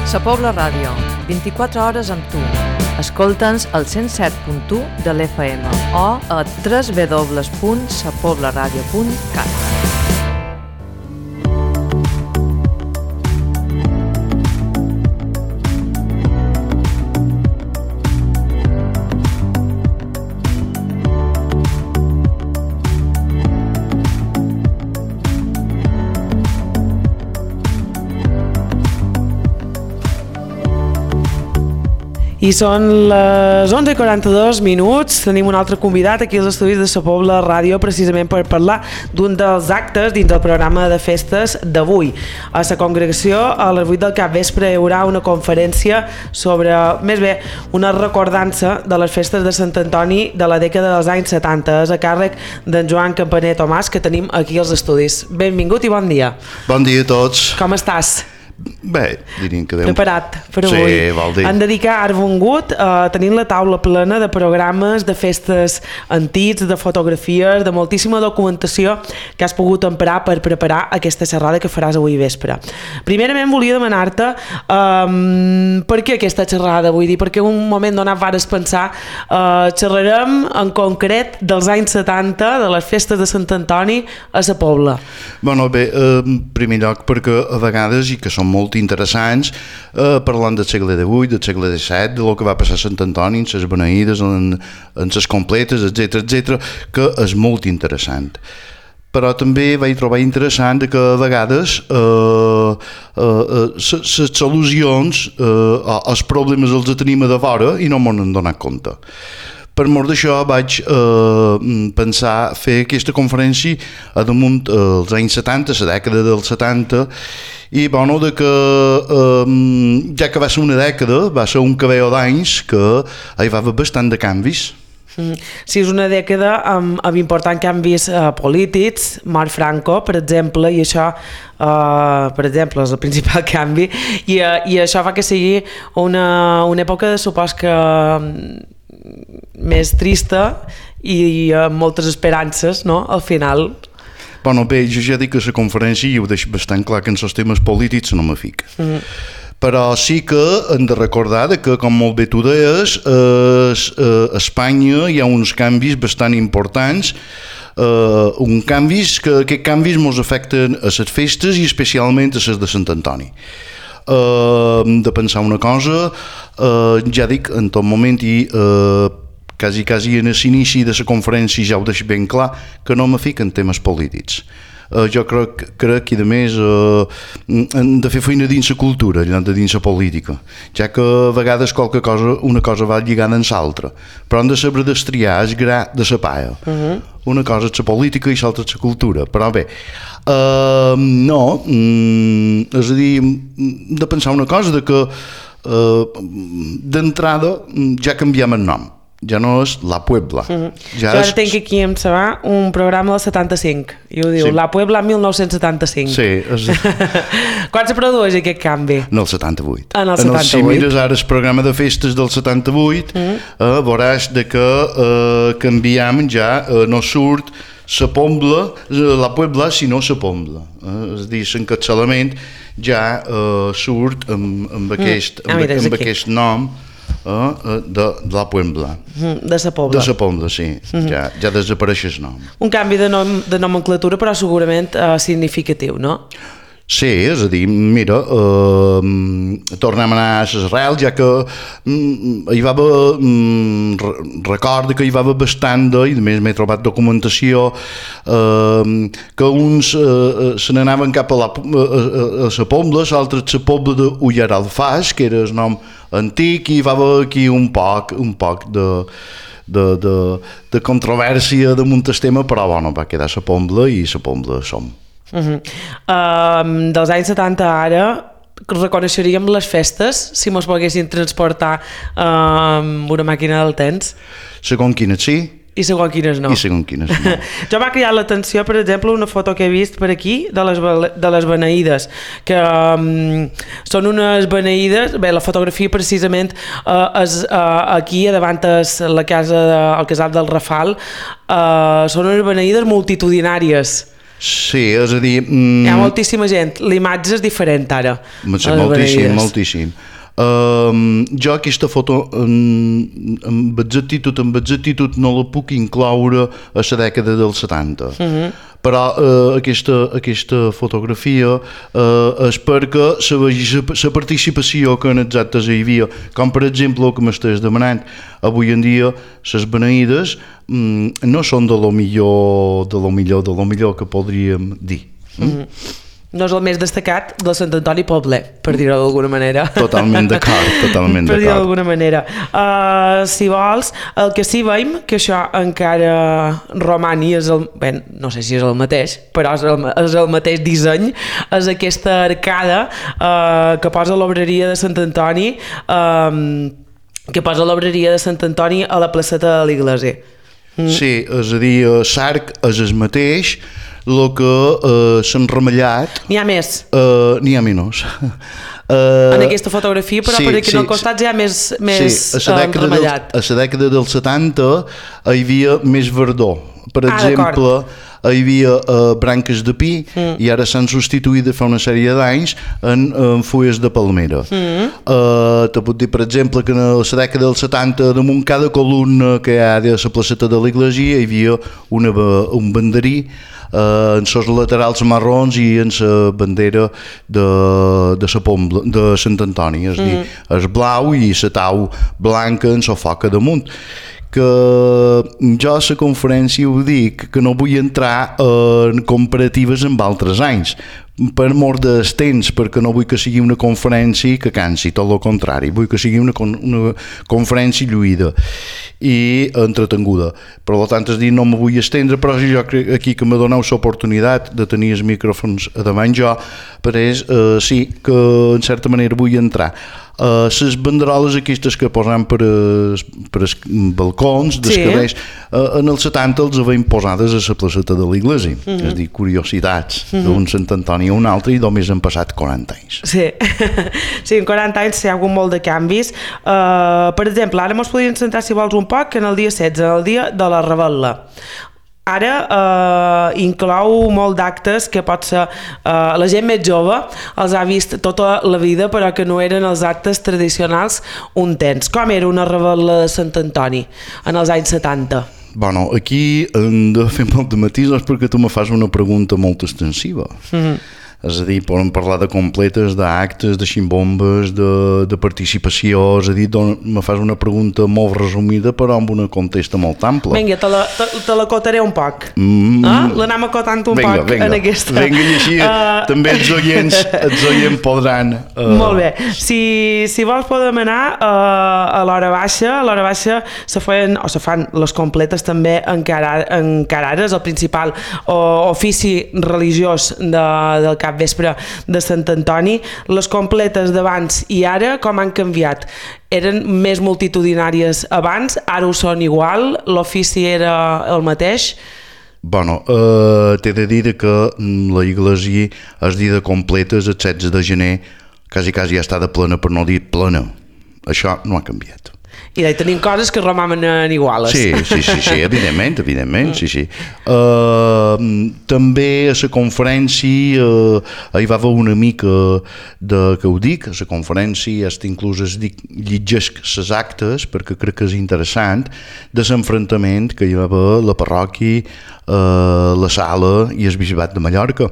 Sa Pobla Ràdio, 24 hores amb tu. Escolta'ns al 107.1 de l'FM o a www.sapoblaradio.cat. I són les 11:42. Tenim un altre convidat aquí als estudis de Sa Pobla Ràdio precisament per parlar d'un dels actes dins del programa de festes d'avui. A la congregació, a les 8 del capvespre, hi haurà una conferència sobre, més bé, una recordança de les festes de Sant Antoni de la dècada dels anys 70. És a càrrec d'en Joan Campaner Tomàs, que tenim aquí als estudis. Benvingut i bon dia. Bon dia a tots. Com estàs? Bé, diríem que Déu... Preparat per avui. Sí, vol dir. Han dedicat, ara vengut, tenint la taula plena de programes, de festes antics, de fotografies, de moltíssima documentació que has pogut emprar per preparar aquesta xerrada que faràs avui vespre. Primerament volia demanar-te per què aquesta xerrada, vull dir, perquè un moment donat vares pensar xerrarem en concret dels anys 70, de les festes de Sant Antoni a Sa Pobla. Bueno, bé, en primer lloc perquè a vegades, i que són molt interessants, parlant del segle XVIII, del segle XVII, de lo que va passar a Sant Antoni, en les beneïdes, en les completes, etc, que és molt interessant. Però també vaig trobar interessant que a vegades les solucions als problemes els tenim a de vora i no m'ho hem donat compte. Per mort d'això vaig pensar fer aquesta conferència a damunt els anys 70, la dècada dels 70, i bueno, de que ja que va ser una dècada, va ser un cabell d'anys que hi va haver bastant de canvis. Sí, és una dècada amb importants canvis polítics, mort Franco, per exemple, i això, per exemple, és el principal canvi, i això fa que sigui una època, supos que més trista i amb moltes esperances, no?, al final. Bueno, bé, jo ja dic que a la conferència i ho deixo bastant clar que en els temes polítics no me fic. Però sí que hem de recordar que, com molt bé tu deies, a Espanya hi ha uns canvis bastant importants, aquests canvis ens afecten a les festes i especialment a les de Sant Antoni. De pensar una cosa, ja dic, en tot moment i quasi en l'inici de la conferència ja ho deixo ben clar, que no me fico en temes polítics. Jo crec que a més hem de fer feina dins la cultura, dins la política, ja que a vegades una cosa va lligada amb l'altra, però hem de saber destriar el gra de la palla. Una cosa és la política i l'altra és la cultura, però bé, no, és a dir, hem de pensar una cosa, de que d'entrada ja canviem el nom. Ja no és La Puebla. Jo ara tinc aquí en Sabà un programa del 75 i ho diu, sí. La Puebla 1975. Sí. Quan se produeix aquest canvi? En el 78. En el 78. Si mires ara el programa de festes del 78, veuràs que canviem ja, no surt La Puebla, sinó Sa Pobla. És a dir, l'encapçalament ja surt amb aquest nom de La Puebla. De Sa Pobla. De Sa Pobla, sí. Ja desapareix el nom. Un canvi de nomenclatura, però segurament significatiu, no? Sí, és a dir, mira, tornem a anar a l'Israel, ja que hi va haver, recorda que hi va haver bastant i a més m'he trobat documentació que uns se n'anaven cap a Sa Pobla, l'altre a Sa Pobla d'Ullaralfàs, que era el nom antic, i hi va haver aquí un poc de controvèrsia damunt el tema, però bueno, va quedar Sa Pobla i Sa Pobla som. Dels anys 70 ara reconeixeríem les festes si mos poguessin transportar amb una màquina del temps? Segons quines sí i segons quines no. Jo m'ha cridat l'atenció, per exemple, una foto que he vist per aquí de les beneïdes, que són unes beneïdes, bé, la fotografia precisament és aquí davant la casa, el casal del Rafal, són unes beneïdes multitudinàries. Sí, és a dir... Hi ha moltíssima gent, l'imatge és diferent ara. Moltíssim. Jo aquesta foto amb exactitud no la puc incloure a la dècada dels 70, però aquesta fotografia és perquè se vegi la participació que en els actes hi havia, com per exemple el que m'estàs demanant. Avui en dia les beneïdes no són de lo millor que podríem dir. No és el més destacat de Sant Antoni Poblet, per dir-ho d'alguna manera. Totalment d'acord. Per dir-ho d'alguna manera. Si vols, el que sí veiem, que això encara roman i és no sé si és el mateix, però és el mateix disseny, és aquesta arcada que posa l'obreria de Sant Antoni, a la placeta de l'Iglesia. Sí, és a dir, l'arc és el mateix, el que s'ha enremellat... N'hi ha més? N'hi ha menys. En aquesta fotografia, però perquè en el costat ja més enremellat. A la dècada dels 70 hi havia més verdor. Per exemple, hi havia branques de pi i ara s'han substituït fa una sèrie d'anys en fulles de palmera. Te puc dir, per exemple, que a la dècada dels 70 damunt cada columna que hi ha de la placeta de l'Iglesia hi havia un banderí en els laterals marrons i en la bandera de Sant Antoni, és a dir, és blau i la tau blanca en la foca damunt. Que jo a la conferència ho dic, que no vull entrar en comparatives amb altres anys, per mort dels temps, perquè no vull que sigui una conferència que cansi, tot el contrari, vull que sigui una conferència lluïda i entretenguda. Per tant, és dir, no me vull estendre, però jo crec aquí que m'ha donat l'oportunitat de tenir els micròfons davant jo, però sí que en certa manera vull entrar. Les banderoles aquestes que posam per els balcons dels carrers, en els 70 els havien posades a la placeta de l'Iglesia, és a dir, curiositats d'un Sant Antoni a un altre, i només han passat 40 anys. Sí, en 40 anys hi ha hagut molt de canvis. Per exemple, ara ens podríem centrar, si vols, un poc en el dia 16, el dia de la Revetlla. Ara inclou molt d'actes que pot ser la gent més jove els ha vist tota la vida, però que no eren els actes tradicionals un temps. Com era una revetlla de Sant Antoni en els anys 70? Bueno, aquí hem de fer molt de matisos perquè tu me fas una pregunta molt extensiva. És a dir, podem parlar de completes, d'actes, de ximbombes, de participació, és a dir, me fas una pregunta molt resumida però amb una contesta molt ampla. Vinga, te la cotaré un poc. L'anem acotant un poc en aquesta. Vinga, i així també els oients podran... Molt bé. Si vols podem anar a l'hora baixa se fan les completes també encara ara, és el principal ofici religiós del cap vespre de Sant Antoni. Les completes d'abans i ara com han canviat? Eren més multitudinàries abans, ara ho són igual, l'ofici era el mateix? Bueno, t'he de dir que la Iglesia el dia de completes, el 16 de gener, quasi ja està de plena, per no dir plena. Això no ha canviat. I tenim coses que romanen iguales. Sí, evidentment, sí. També a la conferència hi va haver una mica que ho dic, a la conferència inclús llegesc les actes, perquè crec que és interessant, de l'enfrontament que hi va haver la parròquia, la sala i el bisbat de Mallorca,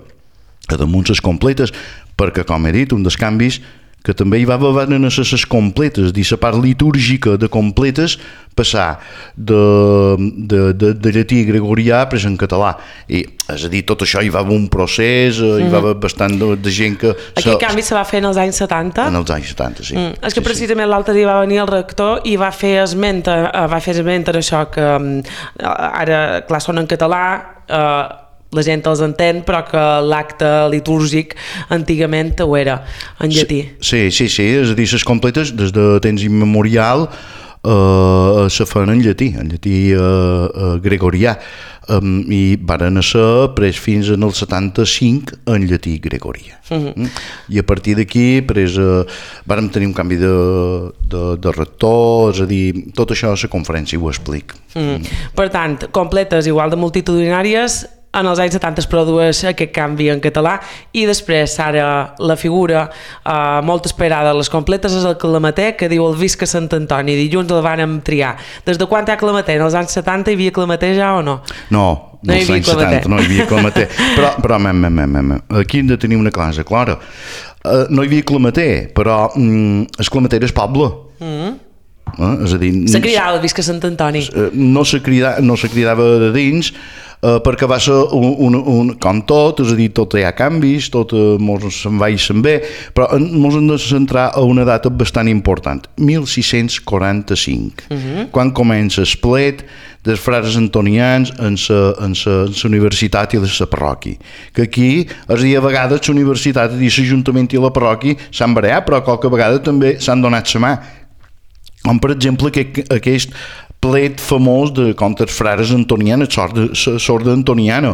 a damunt les completes, perquè, com he dit, un dels canvis que també hi va haver a les completes, dir la part litúrgica de completes passar de llatí gregorià pres en català, i és a dir, tot això hi va haver un procés, hi va haver bastant de gent que... Aquest canvi se va fer en els anys 70? En els anys 70, sí. És que precisament l'altre dia va venir el rector i va fer esment d'això, que ara, clar, són en català, la gent els entén, però que l'acte litúrgic antigament ho era en llatí. Sí, és a dir, les completes des de temps immemorial se fan en llatí gregorià, i varen ser pres fins en el 75 en llatí gregorià. I a partir d'aquí vàrem tenir un canvi de rector, és a dir, tot això a la conferència ho explic. Per tant, completes igual de multitudinàries en els anys 70 es produeix aquest canvi en català i després ara la figura molt esperada a les completes és el Clamater, que diu el Visca Sant Antoni, dilluns el vàrem triar. Des de quan hi ha Clamater? En els anys 70 hi havia Clamater ja o no? No, als anys 70 no hi havia Clamater. Però aquí hem de tenir una cosa clara. No hi havia Clamater, però el Clamater és poble. És a dir, se cridava Visca Sant Antoni. No se cridava de dins, perquè va ser com tot, és a dir, tot hi ha canvis, tot se'n va i se'n ve, però ens hem de centrar a una data bastant important, 1645, quan comença el plet dels frares antonians en la universitat i la parròquia. Que aquí, és a dir, a vegades la universitat i l'Ajuntament i la parròquia s'han barallat, però qualque vegada també s'han donat la mà. Com, per exemple, aquest plet famós de contra els frares antonians, sorda antoniana.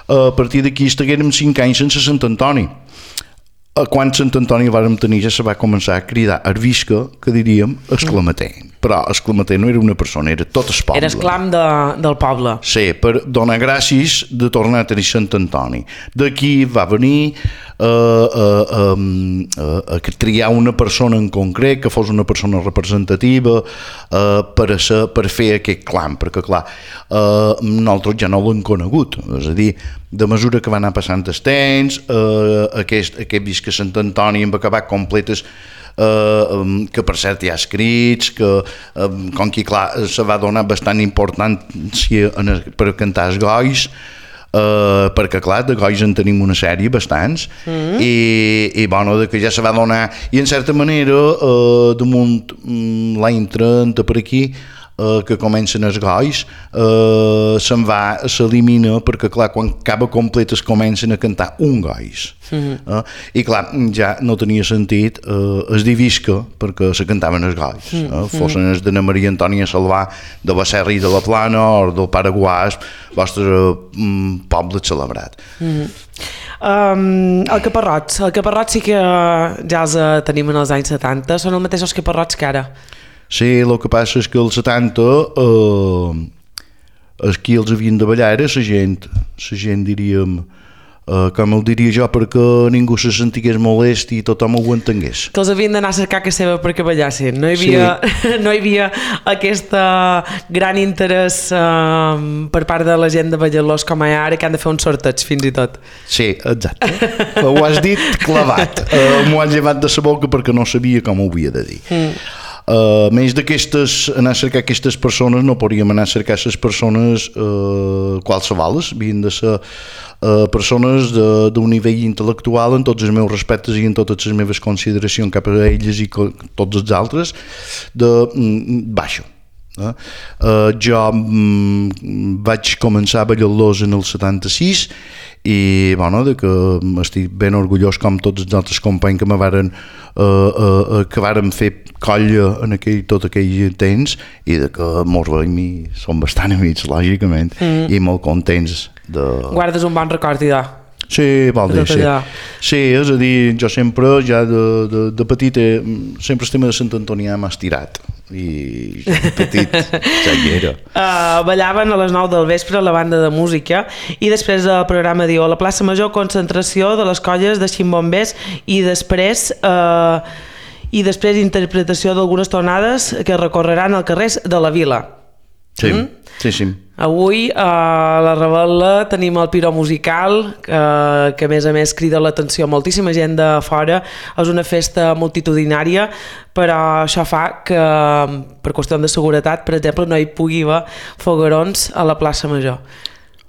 A partir d'aquí estiguérem 5 anys sense Sant Antoni. Quan Sant Antoni vàrem tenir ja se va començar a cridar Arvisca, que diríem Exclamater. Però Exclamater no era una persona, era tot el poble. Era esclam del poble. Sí, per donar gràcies de tornar a tenir Sant Antoni. D'aquí va venir a triar una persona en concret, que fos una persona representativa per fer aquest clam, perquè clar, nosaltres ja no l'hem conegut, és a dir, de mesura que va anar passant el temps, aquest Visca Sant Antoni hem acabat completes, que per cert hi ha escrits, que com que clar se va donar bastant importància per cantar els gois, perquè clar, de gois en tenim una sèrie bastants i bueno, que ja se va donar i en certa manera damunt l'any 30 per aquí que comencen els gois s'elimina perquè clar, quan acaba complet es comencen a cantar un gois i clar, ja no tenia sentit es dir Visca perquè se cantaven els gois fossin els d'Anna Maria Antònia Salvà de la Serra i de la Plana o del Pare Guàs, vostre poble celebrat. El caparrots sí que ja els tenim en els anys 70, són els mateixos caparrots que ara. Sí, el que passa és que als 70 aquí els havien de ballar era la gent diríem, com el diria jo, perquè ningú se sentigués molest i tothom ho entengués. Que els havien d'anar a cercar que seva perquè ballassin. No hi havia aquest gran interès per part de la gent de balladors com ara, que han de fer un sorteig fins i tot. Sí, exacte. Ho has dit clavat. M'ho han llevat de la boca perquè no sabia com ho havia de dir. Més d'aquestes, anar a cercar aquestes persones, no podríem anar a cercar les persones qualsevoles, havien de ser persones d'un nivell intel·lectual en tots els meus respectes i en totes les meves consideracions cap a elles i tots els altres de baixa. Jo vaig començar a ballar-los en el 76 i bueno, que estic ben orgullós com tots els altres companys que varen fer colla en tot aquell temps i que molts veïns són bastant amics, lògicament, i molt contents de... Guardes un bon record, idò? Sí, vol dir, sí. Sí, és a dir, jo sempre, ja de petit, sempre el tema de Sant Antonià m'ha estirat. I de petit ja hi era. Ballaven a les 9 del vespre a la banda de música i després el programa diu a la plaça Major concentració de les colles de ximbombers i després interpretació d'algunes tonades que recorreran als carrers de la vila. Sí, sí. Avui a la Rebel·la tenim el Piró Musical, que a més crida l'atenció a moltíssima gent de fora. És una festa multitudinària, però això fa que, per qüestió de seguretat, per exemple, no hi pugui haver foguerons a la plaça Major.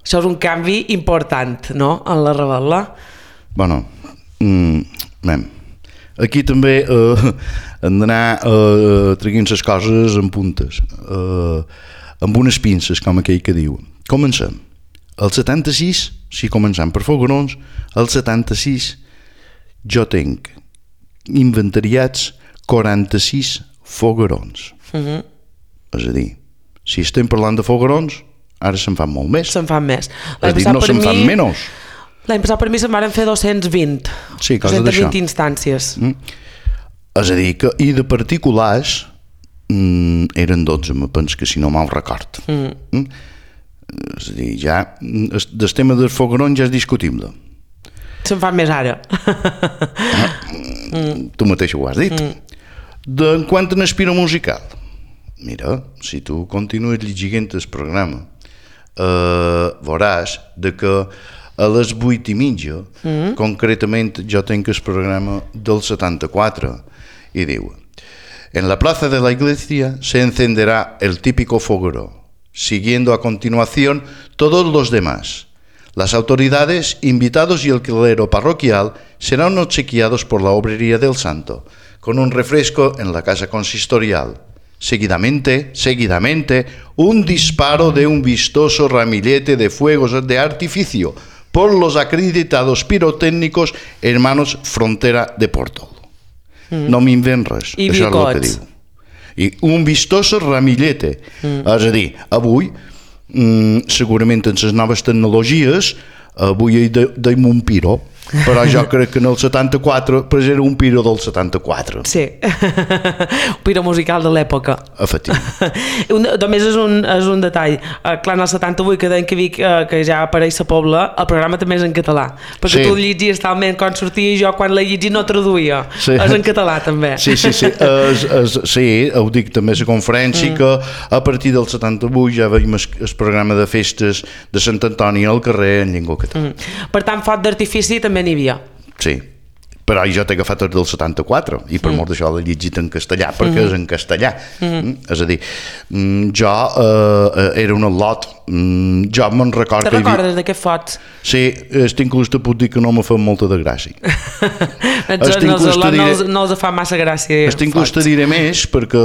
Això és un canvi important, no?, en la Rebel·la. Bueno, aquí també hem d'anar traient les coses en puntes. Amb unes pinces, com aquell que diu. Comencem. El 76, si comencem per foguerons, el 76 jo tinc inventariats 46 foguerons. És a dir, si estem parlant de foguerons, ara se'n fan molt més. Se'n fan més. És a dir, no se'n fan menys. L'any passat per mi se'n van fer 220. Sí, cosa d'això. 220 instàncies. És a dir, que i de particulars eren 12, me penso que si no mal record. És a dir, ja el tema del foguerón ja és discutible. Se'n fa més ara. Tu mateix ho has dit. En quant a l'espiro musical, mira, si tu continues llegint el programa, veuràs de que a les 8:30, concretament jo tenc el programa del 74, i diu: en la plaza de la iglesia se encenderá el típico fogueró, siguiendo a continuación todos los demás. Las autoridades, invitados y el clero parroquial serán obsequiados por la obrería del santo, con un refresco en la casa consistorial. Seguidamente, un disparo de un vistoso ramillete de fuegos de artificio por los acreditados pirotécnicos hermanos Frontera de Portol. No m'invent res, I això bicots. és el que diu. I un vistoso ramillete. És a dir, avui, segurament en les noves tecnologies, avui hi deim un piro, però jo crec que en el 74 pues era un piro del 74. Sí, un piro musical de l'època. Efectivament. Només és un detall. Clar, en el 78 que deien que Vic, que ja apareix a Pobla, el programa també és en català, perquè tu llegies talment quan sortia i jo quan la llegia no traduïa. És en català també. Sí, ho dic també a la conferència, que a partir del 78 ja veiem el programa de festes de Sant Antoni al carrer en llengua catalana. Per tant, foc d'artifici també n'hi havia. Sí, però jo t'he agafat el del 74 i per molt d'això l'he llegit en castellà perquè és en castellà. És a dir, jo era un al·lot, jo me'n record Te recordes d'aquest foc? Sí, inclús te puc dir que no me fa molta de gràcia. No els fa massa gràcia. Inclús te diré més perquè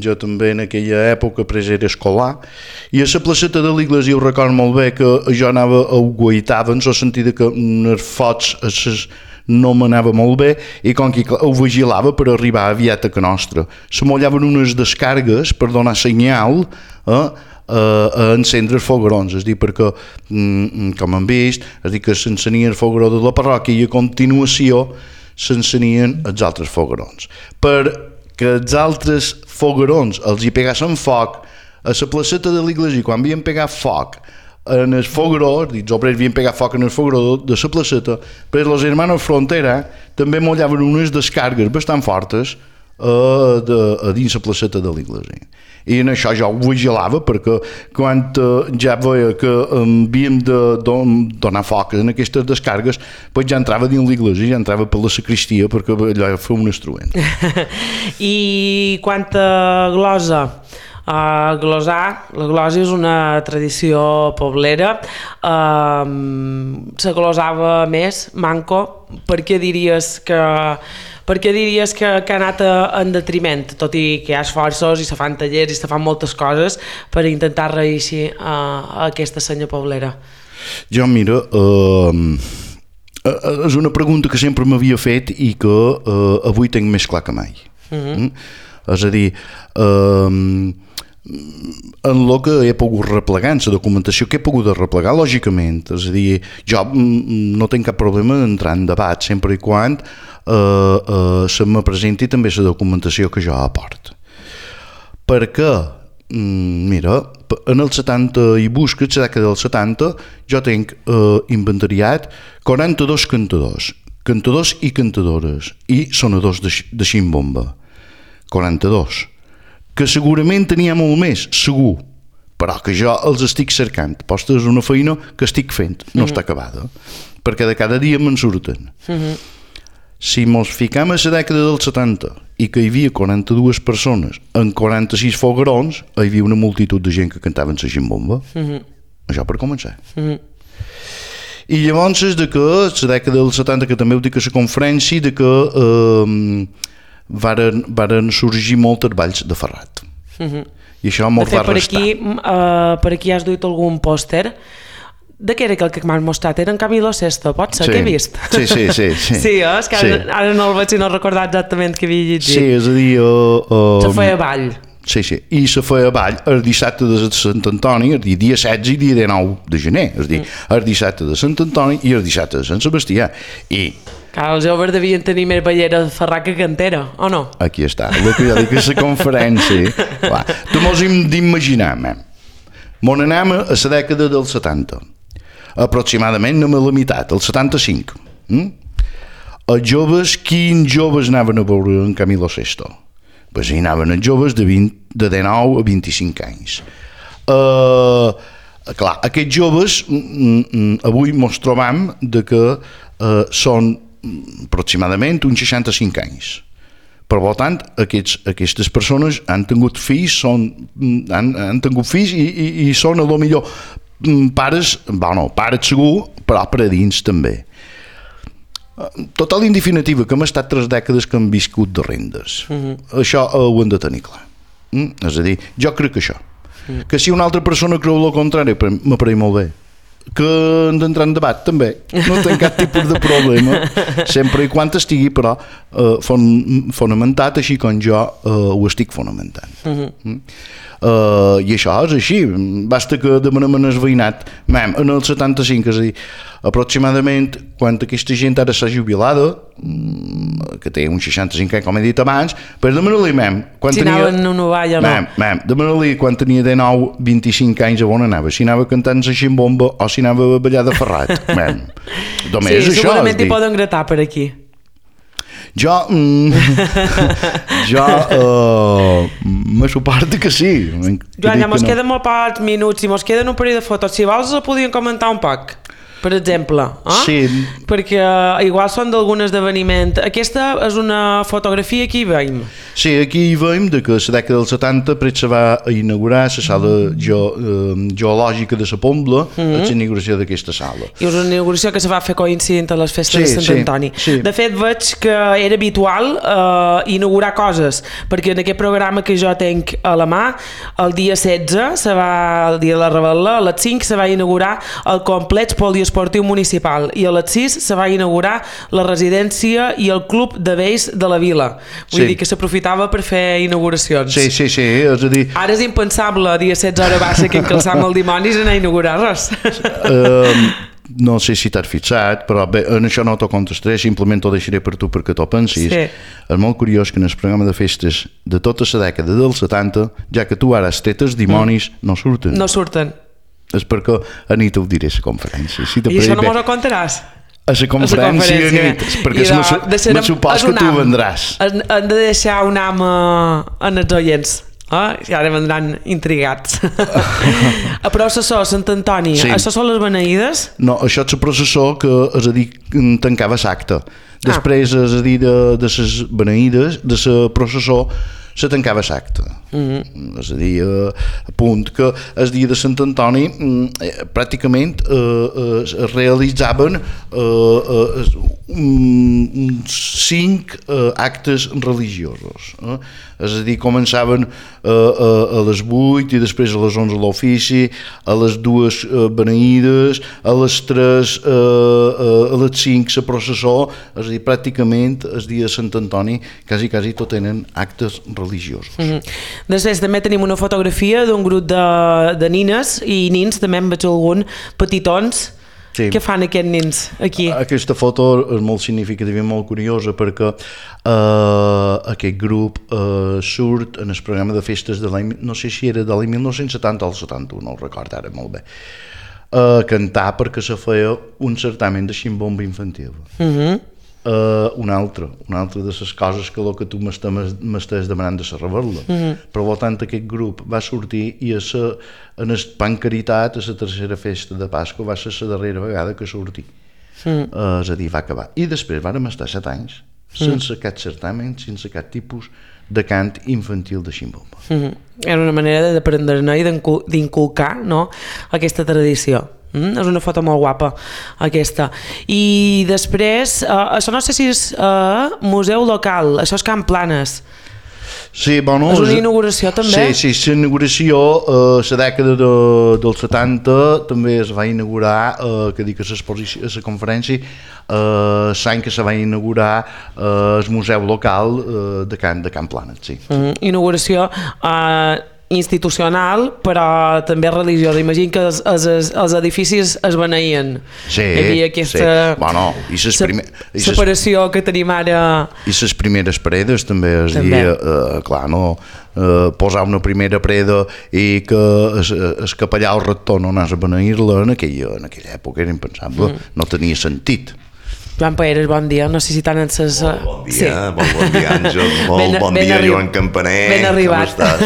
jo també en aquella època era escolar i a la placeta de l'església ho recordo molt bé que jo anava a guaitar en el sentit que els focs no m'anava molt bé i com que ho vigilava per arribar aviat a que nostra. Se mollaven unes descargues per donar senyal a encendre els foguerons, és a dir, perquè, com hem vist, és a dir, que s'encenien el fogueró de la parròquia i a continuació s'encenien els altres foguerons. Perquè els altres foguerons els hi pegassin foc a la placeta de l'església, quan havien pegat foc en el fogueró, els obrers havien pegat foc en el fogueró de la placeta, però els hermanos Frontera també mollaven unes descargues bastant fortes a dins la placeta de l'església. I en això jo ho vigilava perquè quan ja veia que havíem de donar foc en aquestes descargues, doncs ja entrava dins l'església, ja entrava per la sacristia perquè allò feia un instrument. I quant a glosa? Glosar, la glosa és una tradició poblera. Se glosava més, manco. Per què diries que ha anat en detriment, tot i que hi ha esforços i se fan tallers i se fan moltes coses per intentar reeixir aquesta senya poblera? Jo, mira, és una pregunta que sempre m'havia fet i que avui tinc més clar que mai. És a dir, en el que he pogut replegar, en la documentació que he pogut replegar, lògicament, és a dir, jo no tinc cap problema d'entrar en debat sempre i quan se me presenti també la documentació que jo aporto. Perquè, mira, en el 70 i busca, la dècada del 70, jo tinc inventariat 42 cantadors i cantadores i sonadors de ximbomba. 42. Que segurament tenia molt més, segur, però que jo els estic cercant. Posta és una feina que estic fent, no està acabada, perquè de cada dia me'n surten. Si mos ficam a la dècada del 70 i que hi havia 42 persones en 46 foguerons, hi havia una multitud de gent que cantaven la ximbomba. Això per començar. I llavors és de que la dècada del 70, que també ho dic a la conferència, de que varen sorgir moltes balls de Ferrat. I això mos va restar. Per aquí has duit algun pòster. De què era aquell que m'has mostrat? Era en Camilo Sesto, pot ser? Què he vist? Sí. Sí, és que ara no el veig i no recordar exactament què havia llegit. Sí, és a dir... Se feia ball. Sí, i se feia ball el dissabte de Sant Antoni, el dia 16 i dia 19 de gener, és a dir, el dissabte de Sant Antoni i el dissabte de Sant Sebastià. I els joves devien tenir més ballera de Ferrat que cantera, o no? Aquí està, el que jo dic a la conferència. Tu mos hem d'imaginar, Mon anem a la dècada dels 70, aproximadament a la meitat, el 75. Els joves, quins joves anaven a veure en Camilo Sesto? Pues hi anaven els joves de 19 a 25 anys. Clar, aquests joves avui ens trobam que són aproximadament uns 65 anys. Per tant, aquestes persones han tingut fills, han tingut fills i són a lo millor pares, pares segur, però per a dins també. Total indefinitiva, que hem estat 3 dècades que hem viscut de rendes. Això ho hem de tenir clar. És a dir, jo crec que això. Que si una altra persona creu el contrari, m'apareix molt bé. Que hem d'entrar en debat, també. No tinc cap tipus de problema, sempre i quan estigui, però, fonamentat així com jo ho estic fonamentant. I això és així. Basta que demanem en el veïnat. En el 75, és a dir, aproximadament, quan aquesta gent ara s'ha jubilada, que té uns 65 anys, com he dit abans, per demanar-li, si anaven a una valla, no? Demanar-li quan tenia 19, 25 anys, a on anava, si anava cantant la ximbomba o si anava a ballar de Ferrat. Sí, segurament hi poden gratar per aquí. Jo me suporta que sí. Joan, ja mos queden molt pocs minuts i mos queden un parell de fotos. Si vols, els podíem comentar un poc, per exemple. Sí. Perquè igual són d'algun esdeveniment. Aquesta és una fotografia que hi veiem. Sí, aquí hi veiem que a la dècada dels 70 se va inaugurar la sala geològica de la Pobla, la inauguració d'aquesta sala. I és una inauguració que se va fer coincidint a les festes de Sant Antoni. De fet, veig que era habitual inaugurar coses, perquè en aquest programa que jo tenc a la mà, el dia 16, el dia de la Rebel·la, a les 5 se va inaugurar el complex poliesportiu municipal i a les 6 se va inaugurar la residència i el club de vells de la vila. Vull dir que s'aprofitava per fer inauguracions. Sí, és a dir... Ara és impensable, dia 16 hora baixa, que encalçam el dimonis anar a inaugurar res. No sé si t'has fixat, però bé, en això no t'ho contestaré, simplement t'ho deixaré per tu perquè t'ho pensis. És molt curiós que en el programa de festes de tota la dècada dels 70, ja que tu ara has tret els dimonis, no surten. No surten. És perquè a nit ho diré a la conferència. I això no m'ho contaràs? A la conferència nit, perquè me supos que tu vendràs. Hem de deixar un am en els oients. I ara vendran intrigats. A processó, Sant Antoni, això són les beneïdes? No, això és el processó que, és a dir, tancava l'acte. Després, és a dir, de les beneïdes, de la processó, se tancava l'acte. És a dir, a punt que el dia de Sant Antoni pràcticament es realitzaven uns 5 actes religiosos. És a dir, començaven a les 8 i després a les 11 l'ofici, a les 2 beneïdes, a les 3 a les 5 la processó, és a dir, pràcticament el dia de Sant Antoni quasi tot tenen actes religiosos. Després també tenim una fotografia d'un grup de nines i nins, també en veig algun, petitons. Què fan aquests nins aquí? Aquesta foto és molt significativa i molt curiosa perquè aquest grup surt en el programa de festes de l'any, no sé si era de l'any 1970 o el 71, no ho recordo ara molt bé, a cantar perquè se feia un certamen de ximbomba infantil. Una altra de les coses que tu m'estàs demanant de la Rebel·la. Per tant, aquest grup va sortir i en el Pan Caritat, a la tercera festa de Pasqua, va ser la darrera vegada que sortí. És a dir, va acabar. I després vàrem estar 7 anys sense cap certamen, sense cap tipus de cant infantil de ximbomba. Era una manera d'aprendre-ne i d'inculcar aquesta tradició. És una foto molt guapa, aquesta. I després, això no sé si és museu local, això és Can Planes. Sí, bueno... És una inauguració, també? Sí, la inauguració, la dècada dels 70, també es va inaugurar, que dic a la conferència, l'any que se va inaugurar el museu local de Can Planes, sí. Inauguració institucional, però també religiosa. Imagino que els edificis es beneïen. Sí, hi havia aquesta separació que tenim ara. I les primeres paredes també es dia, clar, no, posar una primera pareda i que el capellà o rector no anés a beneir-la en aquella època era impensable, no tenia sentit. Joan Paeres, bon dia, no sé si tant en ses... Bon dia, bon dia Àngel, bon dia Joan Campaner, ben arribat. Com estàs?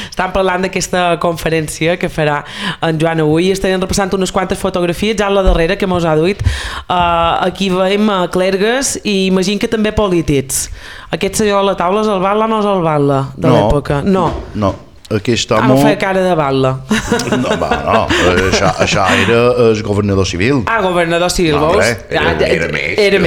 Estan parlant d'aquesta conferència que farà en Joan avui, estarem repassant unes quantes fotografies, ja a la darrera que mos ha duit. Aquí veiem clergues i imagino que també polítics. Aquest senyor a la taula és el Batla o no és el Batla de l'època? No. Aquest home... no feia cara de Batla. No, això era el governador civil. Governador civil, veus? Era més. Era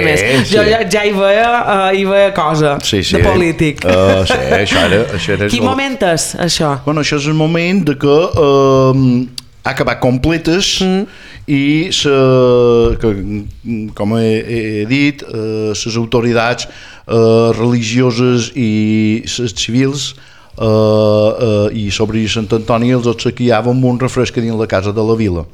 més. Jo ja hi veia cosa de polític. Sí, això era... Quin moment és, això? Bueno, això és el moment de que ha acabat completes i com he dit, les autoritats religioses i les civils i sobre Sant Antoni els obsequiaven amb un refresc dins la casa de la vila.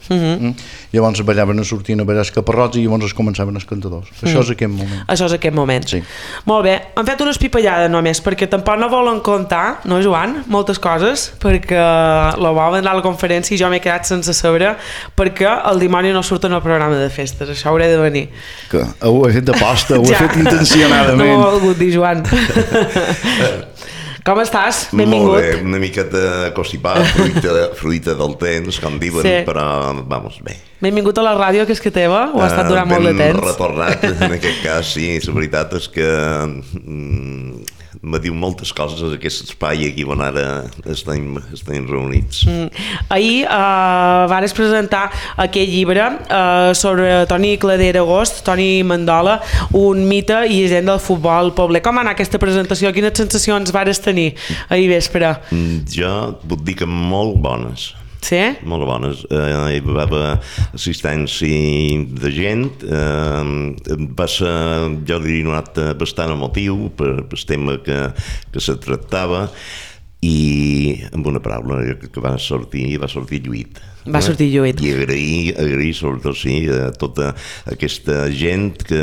Llavors ballaven, sortien a ballar els caparrots i llavors es començaven els cantadors. Això és aquest moment. Això és aquest moment. Sí. Molt bé, han fet unes pipallades només, perquè tampoc no volen contar, no Joan, moltes coses, perquè la volen anar a la conferència i jo m'he quedat sense saber perquè el dimoni no surt en el programa de festes, això hauré de venir. Que ho he fet de posta, ho he fet intencionadament. No m'ho ha volgut dir, Joan. Com estàs? Benvingut. Molt bé, una miqueta constipat, fruita del temps, com diuen, sí. Però, vamos, bé. Benvingut a la ràdio, que és que teva, ho ha estat durant molt de temps. Ben retornat, en aquest cas, sí, la veritat és que me diu moltes coses a aquest espai aquí on ara estem reunits. Ahir vares presentar aquell llibre sobre Toni Cladera Agost, Toni Mandola, un mite i llegenda del futbol pobler. Com va anar aquesta presentació? Quines sensacions vares tenir ahir vespre? Jo puc dir que molt bones. Sí? Molt bones. Hi va haver assistència de gent. Va ser, jo diria, un acte bastant emotiu per el tema que se tractava i, amb una paraula, que va sortir lluït. Va sortir lluït. I agrair sobretot, sí, a tota aquesta gent que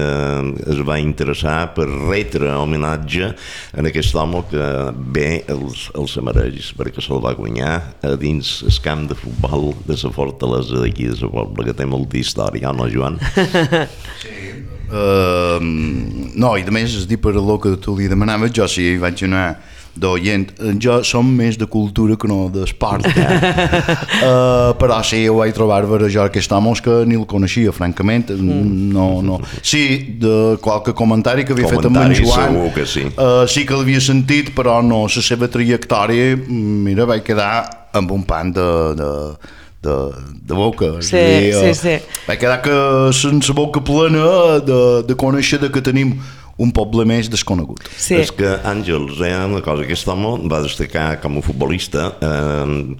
es va interessar per retre homenatge a aquest home que bé els mereix, perquè se'l va guanyar a dins el camp de futbol de la fortalesa d'aquí de la Pobla, que té molta història, no, Joan? Sí. No, i a més, és dir per el que tu li demanaves, jo sí vaig anar d'oient, jo som més de cultura que no d'esport, però sí, ho vaig trobar veure jo aquest home que ni el coneixia, francament, no. Sí, de qualque comentari que havia fet amb en Joan, segur que sí. Sí que l'havia sentit, però no, la seva trajectòria, mira, vaig quedar amb un pan de boca. Sí. Vaig quedar sense boca plena de conèixer que tenim un poble més desconegut. Sí. És que Àngels, una cosa, aquest home va destacar com a futbolista,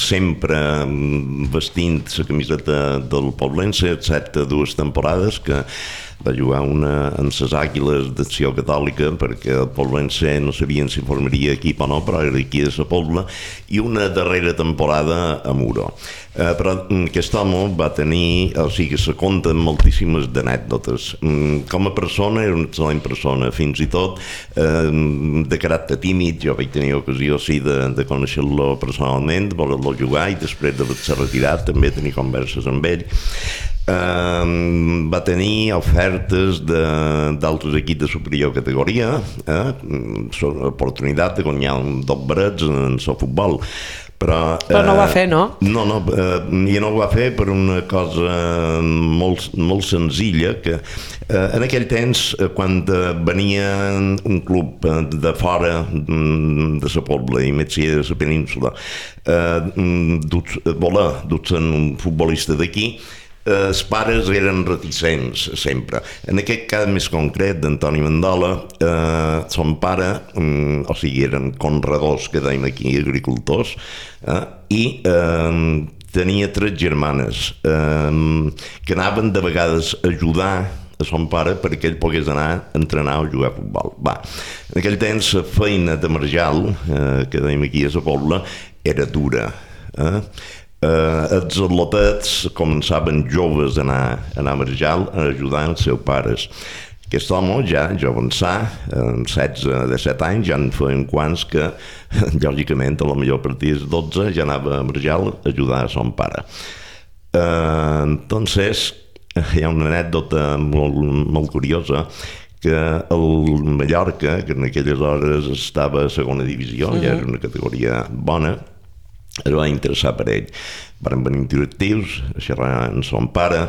sempre vestint la camiseta del Poblense, excepte 2 temporades que va jugar una en les Àguiles d'Acció Catòlica, perquè el Poblense no sabien si formaria equip o no, però era aquí de la Pobla, i una darrera temporada a Muro. Però aquest home va tenir, o sigui, se compten moltíssimes d'anècdotes. Com a persona, era una excel·lent persona, fins i tot de caràcter tímid. Jo vaig tenir ocasió, sí, de conèixer-lo personalment, de voler-lo jugar, i després d'haver-se retirat també tenir converses amb ell. Va tenir ofertes d'altres equips de superior categoria, oportunitat de guanyar un dos barets en el futbol. Però no ho va fer, no? No, i no ho va fer per una cosa molt senzilla, que en aquell temps, quan venia un club de fora de la Pobla, i més si era de la península, dur-se'n un futbolista d'aquí, els pares eren reticents sempre. En aquest cas més concret d'Antoni Mandola, son pare, o sigui, eren conredors, que dèiem aquí, agricultors, i tenia 3 germanes que anaven de vegades a ajudar a son pare perquè ell pogués anar a entrenar o jugar a futbol. Va, en aquell temps la feina de marjal, que dèiem aquí a la Pobla, era dura. Els atlotets començaven joves a anar a marjal a ajudar els seus pares. Aquest home ja avançà, amb 16-17 anys, ja en feien quants que, lògicament, a la millor a partir dels 12 ja anava a marjal a ajudar a son pare. Entonces, hi ha una anècdota molt curiosa que el Mallorca, que en aquelles hores estava a segona divisió, ja era una categoria bona, es va interessar per ell. Van venir directius a xerrar amb son pare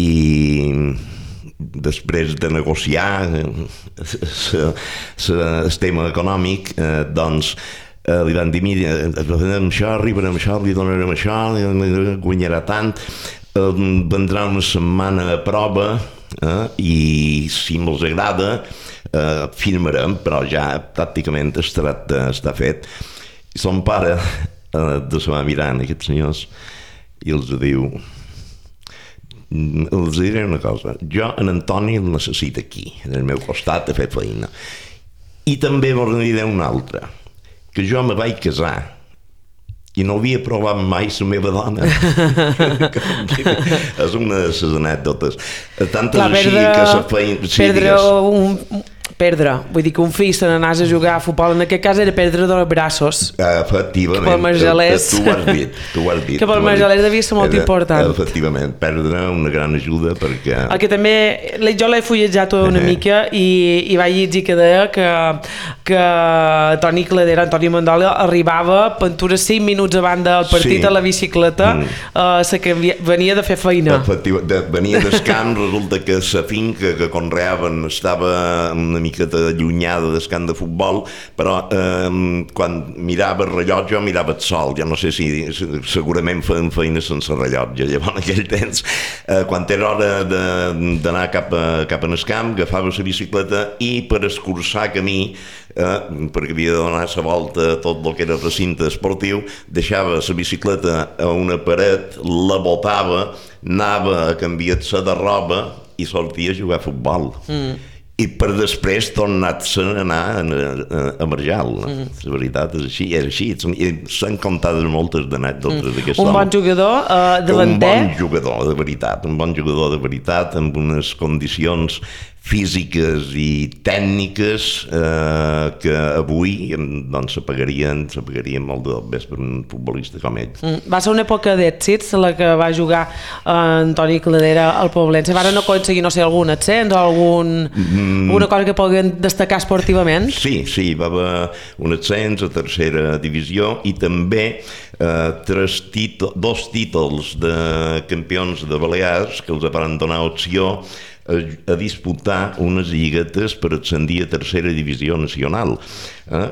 i després de negociar el tema econòmic, doncs li van dir, mira, farem això, arribarem això, li donarem això, guanyarà tant, vendrà una setmana a prova i si me'ls agrada firmarem, però ja pràcticament el tracte està fet. I son pare se va mirant aquests senyors i els diu, els diré una cosa, jo en Antoni el necessito aquí, en el meu costat a fer feina. I també vos diré una altra, que jo me vaig casar i no havia provat mai la meva dona. És una de les anècdotes. Tant és així que la feina... Perdre, vull dir que un fill se n'anàs a jugar a futbol, en aquest cas era perdre dels braços. Efectivament, que pel marjalers, tu ho has dit. Que pel marjalers devia ser molt important. Efectivament, perdre una gran ajuda perquè... El que també, jo l'he fullejat una mica i vaig llegir que deia que Toni Cladera, Antoni Mandola, arribava pintures 5 minuts abans del partit a la bicicleta, que venia de fer feina. Venia del camp, resulta que la finca que conreaven estava una miqueta allunyada del camp de futbol, però quan mirava el rellotge, mirava el sol. Jo no sé si segurament feien feina sense rellotge. Llavors, en aquell temps, quan era hora d'anar cap en el camp, agafava la bicicleta i per escurçar camí, perquè havia de donar la volta a tot el que era recinte esportiu, deixava la bicicleta a una paret, la botava, anava a canviar-se de roba i sortia a jugar a futbol. I per després tornar-se a anar a marjal. La veritat és així, és així. S'han comptat moltes anècdotes d'aquest home. Un bon jugador davanter? Un bon jugador de veritat, amb unes condicions físiques i tècniques que avui doncs s'apagarien molt de més per un futbolista com ell. Va ser una època d'èxits la que va jugar Antoni Cladera al Poblense. Van aconseguir, no sé, algun ascens o alguna cosa que puguin destacar esportivament? Sí, va haver un ascens a tercera divisió i també 2 títols de campions de Balears que els van donar opció a disputar unes lliguetes per ascendir a tercera divisió nacional.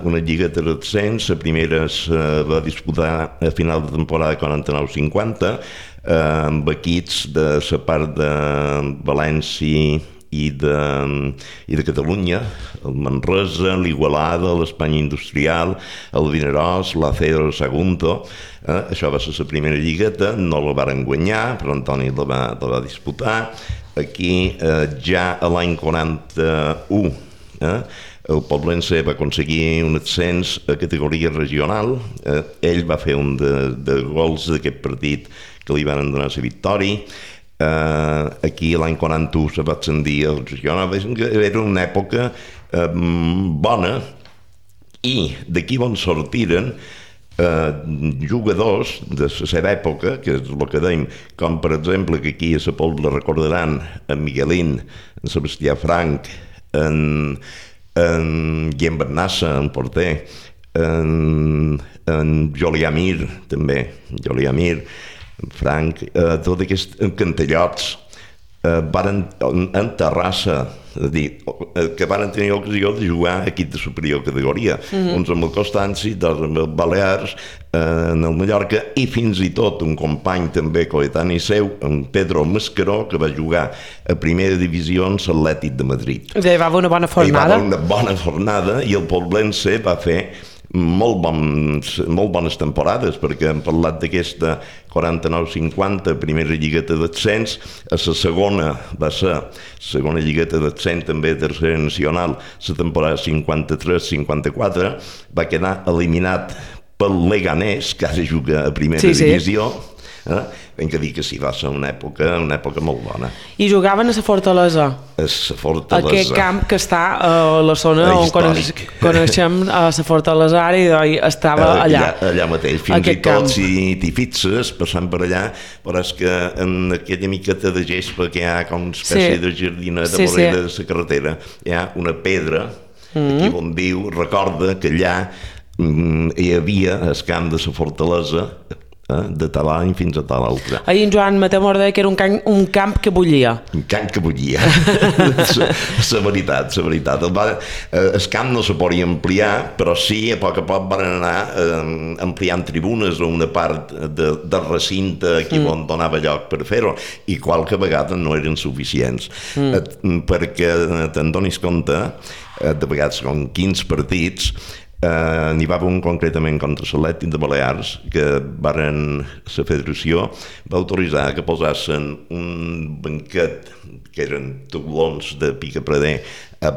Una lligueta d'ascens, la primera es va disputar a final de temporada 49-50 amb equips de la part de València i de Catalunya, el Manresa, l'Igualada, l'Espanya Industrial, el Vinaròs, l'Acero, el Sagunto. Això va ser la primera lligueta, no la varen guanyar, però Antoni la va disputar. Aquí, ja a l'any 41, el Poblense va aconseguir un ascens a categoria regional. Ell va fer un de gols d'aquest partit que li van donar la victòria. Aquí l'any 41 se va ascendir al regional. Era una època bona i d'aquí on sortiren jugadors de la seva època, que és el que dèiem, com per exemple que aquí a la Pobla recordaran en Miguelín, en Sebastià Frank, en Guillem Bernassa, en porter, en Julià Mir també, Frank, tots aquests cantellots en Terrassa, és a dir, que van tenir ocasió de jugar a equip de superior categoria, uns amb el Constanci, dos amb el Balears, en el Mallorca, i fins i tot un company també coetani seu, en Pedro Mascaró, que va jugar a primera divisió en l'Atlètic de Madrid. I va haver una bona fornada. I el Poblense va fer molt bones temporades, perquè hem parlat d'aquesta 49-50, primera lligueta d'ascens, a la segona va ser la segona lligueta d'ascens, també tercera nacional, la temporada 53-54, va quedar eliminat pel Leganés, que ara juga a primera divisió. Hem de dir que sí, va ser una època molt bona. I jugaven a la Fortalesa? A la Fortalesa. Aquest camp que està a la zona on coneixem a la Fortalesa ara i estava allà. Allà mateix, fins i tot si t'hi fixes, passant per allà, veuràs que en aquella miqueta de gespa que hi ha com una espècie de jardineta vorera de la carretera, hi ha una pedra, aquí on viu, recorda que allà hi havia el camp de la Fortalesa, de tal any fins a tal altre. Ahir en Joan Mateu m'ho deia que era un camp que bullia. Un camp que bullia. La veritat. El camp no se podia ampliar, però sí, a poc van anar ampliant tribunes o una part del recinte aquí on donava lloc per fer-ho, i qualque vegada no eren suficients. Perquè te'n donis compte, de vegades com 15 partits, n'hi va haver un concretament contra l'Atlètic de Balears que la federació va autoritzar que posassin un banquet que eren taulons de picaprader a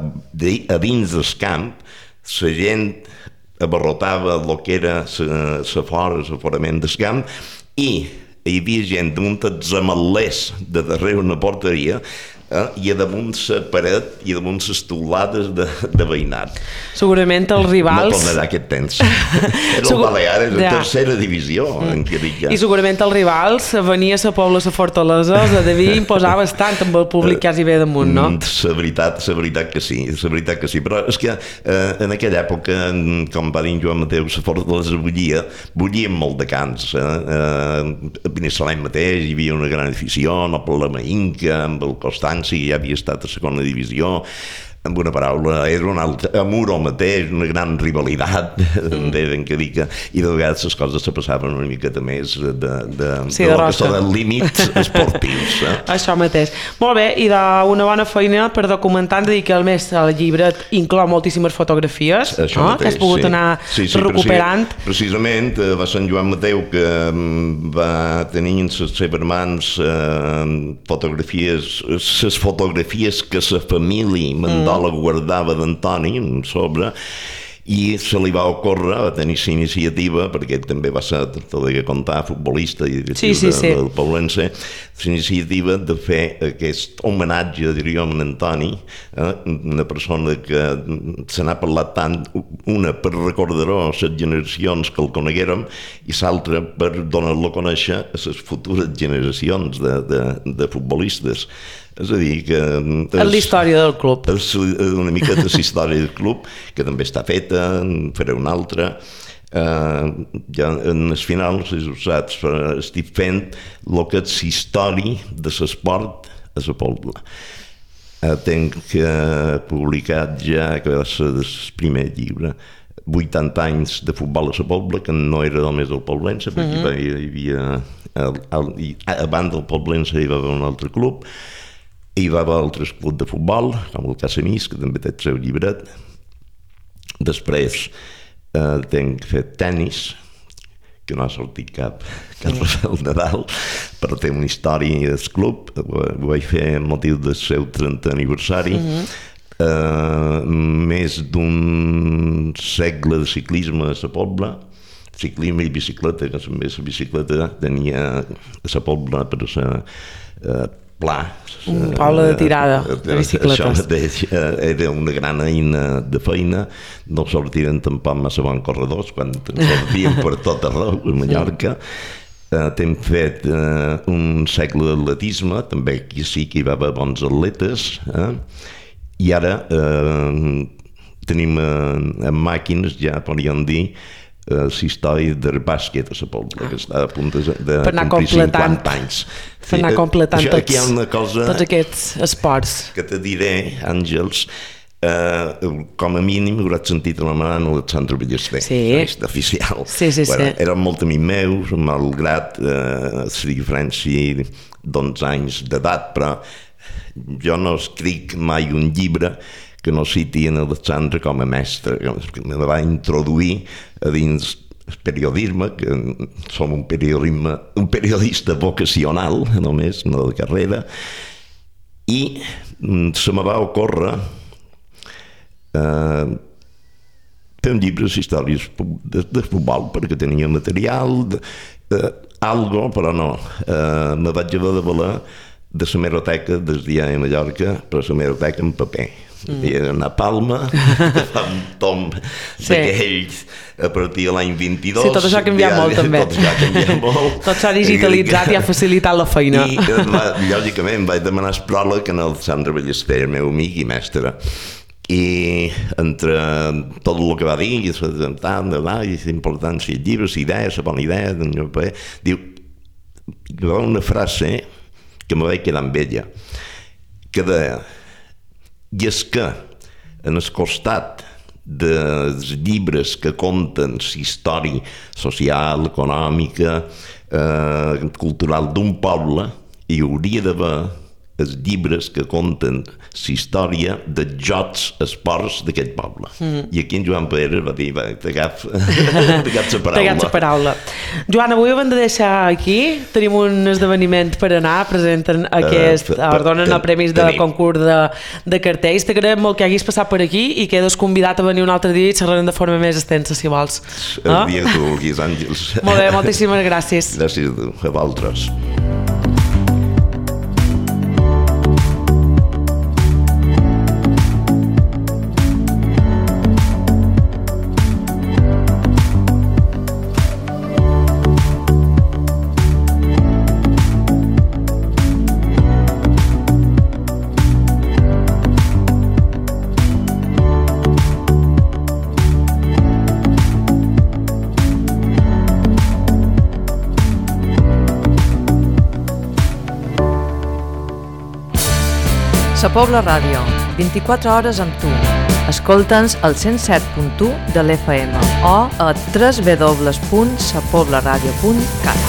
dins del camp. La gent abarrotava el que era l'aforament del camp i hi havia gent damunt els ametllers de darrere una porteria i a damunt la paret i a damunt les teulades de veïnat. Segurament els rivals... No tornarà aquest temps. Era el Baleares, la tercera divisió. I segurament els rivals venia a la Pobla a la Fortalesa, els devia imposar bastant amb el públic quasi bé damunt, no? La veritat que sí, però és que en aquella època, com va dir Joan Mateu, la Fortalesa bullien molt de cants. A Binissalem mateix hi havia una gran afició, no per la Mainca, amb el Constanci, que ja havia estat a segona divisió. Amb una paraula, era un altre Amuro mateix, una gran rivalitat, i de vegades les coses se passaven una miqueta més de límits esportius. Això mateix. Molt bé, i d'una bona feina per documentar, de dir que el llibret inclou moltíssimes fotografies, que has pogut anar recuperant. Precisament, va ser en Joan Mateu que va tenir en les seves mans les fotografies que la família la guardava d'Antoni sobre, i se li va ocórrer, va tenir la iniciativa, perquè també va ser, t'ho deia contar, futbolista i del Poblense, la iniciativa de fer aquest homenatge, diríem, a Antoni, una persona que se n'ha parlat tant, una per recordar-ho a les generacions que el coneguérem, i l'altra per donar-lo a conèixer a les futures generacions de futbolistes. És a dir, que... És la història del club. És una miqueta la història del club, que també està feta, en faré una altra. Ja en el final, si ho saps, estic fent el que és història de l'esport a la Pobla. Tenc publicat ja, que va ser el primer llibre, 80 anys de futbol a la Pobla, que no era només el Poblense, perquè hi havia... A banda del Poblense hi va haver un altre club, hi va haver altres clubs de futbol, com el Casamís, que també té el seu llibret. Després tenc fet tennis, que no ha sortit cap Rafael Nadal, però té una història del club. Ho vaig fer amb motiu del seu 30 aniversari. Més d'un segle de ciclisme a la Pobla, ciclisme i bicicleta, que també la bicicleta tenia a la Pobla per ser pla. Un poble de tirada de bicicletes. Això mateix era una gran eina de feina, no sortien tampoc massa bons corredors quan sortien per tot arreu a Mallorca. Hem fet un segle d'atletisme, també aquí sí que hi va haver bons atletes, i ara tenim en màquines, ja podríem dir, la història del bàsquet a la Pobla, que està a punt de complir 50 anys. Per anar completant tots aquests esports. Que te diré, Àngels, com a mínim hauràs sentit anomenant Alexandre Ballester, oficial. Eren molt amics meus, malgrat la diferència d'11 anys d'edat, però jo no escric mai un llibre que no citi en Alexandre com a mestre, que me va introduir a dins el periodisme, que som un periodista vocacional, només, no de carrera, i se me va ocórrer fer un llibre d'històries de futbol, perquè tenia material, algo, però no. Me vaig haver de valer de la meroteca del diari de Mallorca, però la meroteca en paper. I anar a Palma, fa un tom d'aquells a partir de l'any 22. Sí, tot això ha canviat molt, també. Tot això ha canviat molt. Tot s'ha digitalitzat i ha facilitat la feina. I, lògicament, vaig demanar el pròleg a Alexandre Ballester, el meu amic i mestre. I entre tot el que va dir, és important si el llibre, la idea, la bona idea, diu, hi va una frase que me vaig quedar amb ella, que deia, i és que en el costat dels llibres que conten la història social, econòmica, cultural d'un poble, hi hauria d'haver els llibres que conten la història dels jocs esports d'aquest poble. I aquí en Joan Pere va dir, t'agaf la paraula. T'agaf la paraula. Joan, avui ho hem de deixar aquí. Tenim un esdeveniment per anar, presenten donen el premis del concurs de cartells. T'agradarem molt que haguis passat per aquí i quedes convidat a venir un altre dia i xerrarem de forma més extensa, si vols. El dia que tu vulguis, Àngels. Molt bé, moltíssimes gràcies. Gràcies a tu, a vosaltres. Sa Pobla Ràdio, 24 hores amb tu. Escolta'ns al 107.1 de l'FM o a www.sapoblaradio.cat.